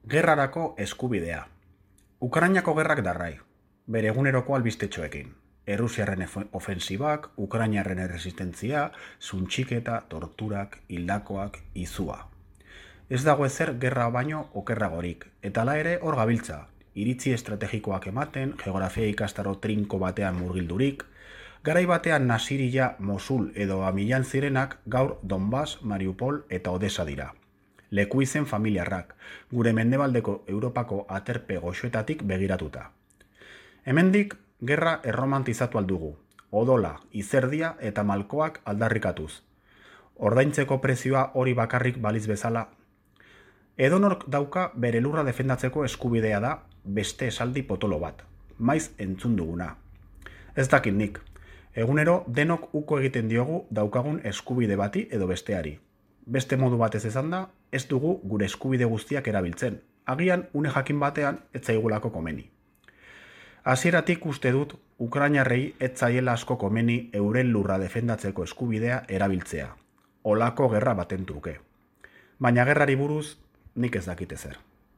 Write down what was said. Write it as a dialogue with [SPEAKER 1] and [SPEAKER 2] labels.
[SPEAKER 1] Gerrarako eskubidea. Ukrainako gerrak darrai, bere eguneroko albistetxoekin. Errusiarren ofensibak, Ukrainarren erresistentzia, suntxiketa, torturak, hildakoak, izua. Ez dago ezer gerra baino okerragorik, eta hala ere hor gabiltza, iritzi estrategikoak ematen, geografia ikastaro trinko batean murgildurik, garai batean Nasiria, Mosul edo Amilan zirenak gaur Donbas, Mariupol eta Odessa dira. Leku izen familiarrak, gure mendebaldeko Europako aterpe goxoetatik begiratuta. Hemendik, gerra erromantizatu aldugu, odola, izerdia eta malkoak aldarrikatuz. Ordaintzeko prezioa hori bakarrik baliz bezala. Edonork dauka bere lurra defendatzeko eskubidea da beste esaldi potolo bat, maiz entzun duguna. Ez dakit nik, egunero denok uko egiten diogu daukagun eskubide bati edo besteari. Beste modu batez esan da, ez dugu gure eskubide guztiak erabiltzen, agian une jakin batean ez zaigulako komeni. Hasieratik uste dut, Ukrainarrei ez zaiela asko komeni euren lurra defendatzeko eskubidea erabiltzea, olako gerra baten truke. Baina gerrari buruz nik ez dakit ezer.